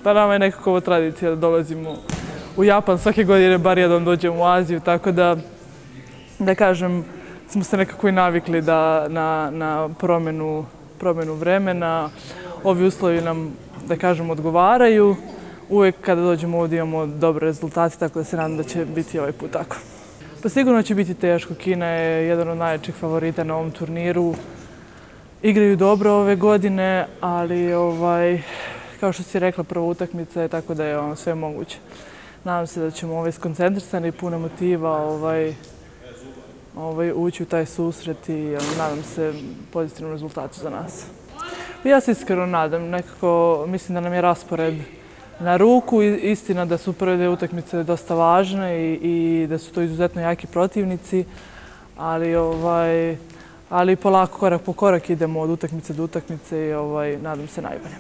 Pa nama je nekako ovo tradicija da dolazimo u Japan svake godine, bar jednom dođemo u Aziju, tako da kažem, smo se nekako i navikli na promenu vremena. Ovi uslovi nam, da kažem, odgovaraju. Uvijek kada dođemo ovdje imamo dobre rezultate, tako da se nadam da će biti ovaj put tako. Pa sigurno će biti teško. Kina je jedan od najjačih favorita na ovom turniru. Igraju dobro ove godine, ali kao što si rekla, prva utakmica je, tako da je sve moguće. Nadam se da ćemo skoncentrisani i puno motiva ući u taj susret i nadam se pozitivnom rezultatu za nas. Ja se iskreno nadam, nekako mislim da nam je raspored na ruku. Istina da su prve dve utakmice dosta važne i da su to izuzetno jaki protivnici, ali polako, korak po korak idemo od utakmice do utakmice i nadam se najbolje.